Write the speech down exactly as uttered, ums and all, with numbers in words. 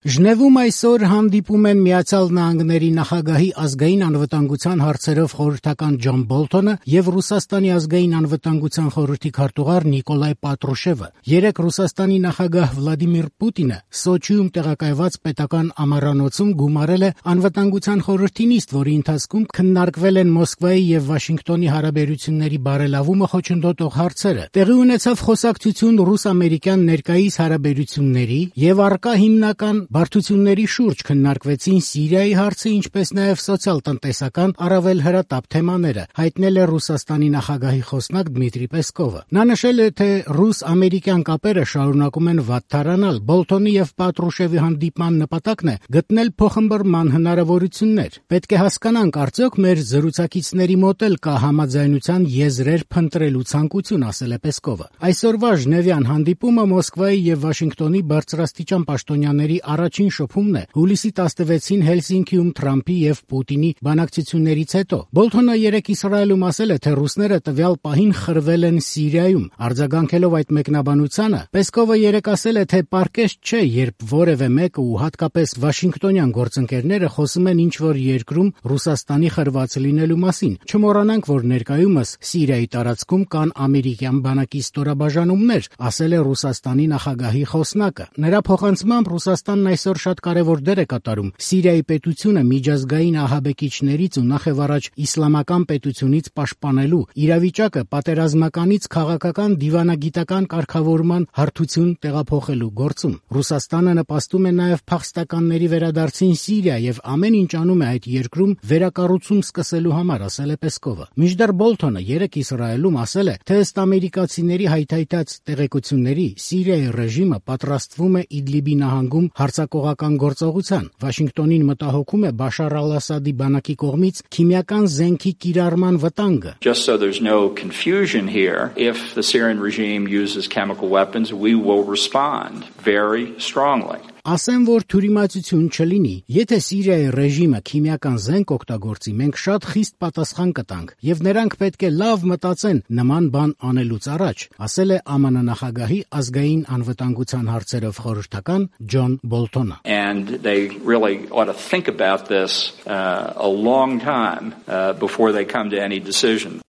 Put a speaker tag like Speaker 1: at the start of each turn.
Speaker 1: Ժնևում այսօր հանդիպում են Միացյալ Նահանգների նախագահի ազգային անվտանգության հարցերով խորհրդական Ջոն Բոլթոնը եւ Ռուսաստանի ազգային անվտանգության խորհրդի քարտուղար Նիկոլայ Պատրուշևը։ Երեկ Ռուսաստանի նախագահ Վլադիմիր Պուտինը Սոչիում տեղակայված պետական ամառանոցում գումարել է անվտանգության խորհրդի նիստ, որի ընթացքում քննարկվել են Մոսկվայի եւ Վաշինգտոնի հարաբերությունների բարելավումը խոչընդոտող հարցերը։ Տեղի ունեցավ խոսակցություն ռուս-ամերիկյան ներկայիս հարաբերությունների եւ առկա հիմնական բարդությունների շուրջ քննարկվեցին Սիրիայի հարցը, ինչպես նաև սոցիալ-տնտեսական առավել հրատապ թեմաները, հայտնել է Ռուսաստանի նախագահի խոսնակ Դմիտրի Պեսկովը։ Նա նշել է, թե ռուս-ամերիկյան կապերը շարունակում են վատթարանալ։ Բոլթոնի եւ Պատրուշևի հանդիպման նպատակն է գտնել փոխըմբռնման հնարավորություններ։ Պետք է հասկանանք, արդյոք մեր զրուցակիցների մոտ էլ կա համաձայնության եզրեր փնտրելու ցանկություն, ասել է Պեսկովը։ Այսօրվա ժնևյան հանդիպումը Մոսկվայի եւ Վաշինգտոնի բարձրաստիճան պաշտոնյաների առաջին շփումն է հուլիսի տասնվեցին Հելսինկիում Թրամփի եւ Պուտինի բանակցություններից հետո։ Բոլթոնը երեկ Իսրայելում ասել է, թե ռուսները տվյալ պահին խրվել են Սիրիայում։ Արձագանքելով այդ մեկնաբանությանը, Պեսկովը երեկ ասել է, թե պարկեշտ չէ, երբ որևէ մեկը ու հատկապես վաշինգտոնյան գործընկերները խոսում են ինչ-որ երկրում Ռուսաստանի խրված լինելու մասին։ Չմոռանանք, որ ներկայումս Սիրիայի տարածքում կան ամերիկյան բանակի ստորաբաժանումներ, ասել է Ռուսաստանի նախագահի խոսնակը։ Նրա փոխանցմամբ Ռուսաստանն այսօր շատ կարևոր դեր է կատարում Սիրիայի պետությունը միջազգային ահաբեկիչներից ու նախևառաջ իսլամական պետությունից պաշտպանելու, իրավիճակը պատերազմականից քաղաքական դիվանագիտական կարգավորման հարթություն տեղափոխելու գործում։ Ռուսաստանը նպաստում է նաև փախստականների վերադարձին Սիրիա եւ ամեն ինչ անում է այդ երկրում վերակառուցում սկսելու համար, ասել է Պեսկովը։ Մինչդեռ Բոլթոնը երեկ Իսրայելում ասել է, թե ըստ ամերիկացիների հայթայթած տեղեկությունների Սիրիայի ռեժիմը պատրաստվում է Իդլիբի նահանգում հարձակողական գործողության։ Վաշինգտոնին մտահոգում է Բաշար al-Ասադի բանակի կողմից քիմիական զենքի կիրառման վտանգը։
Speaker 2: Just so there's no confusion here, if the Syrian regime uses chemical weapons, we will respond very strongly.
Speaker 1: Ասեմ, որ թյուրիմացություն չլինի։ Եթե Սիրիայի ռեժիմը քիմիական զենք օգտագործի, մենք շատ խիստ պատասխան կտանք, եւ նրանք պետք է լավ մտածեն նման բան անելուց առաջ, ասել է ԱՄՆ նախագահի ազգային անվտանգության հարցերով խորհրդական Ջոն Բոլթոնը։
Speaker 2: And they really ought to think about this uh, a long time uh, before they come to any decision.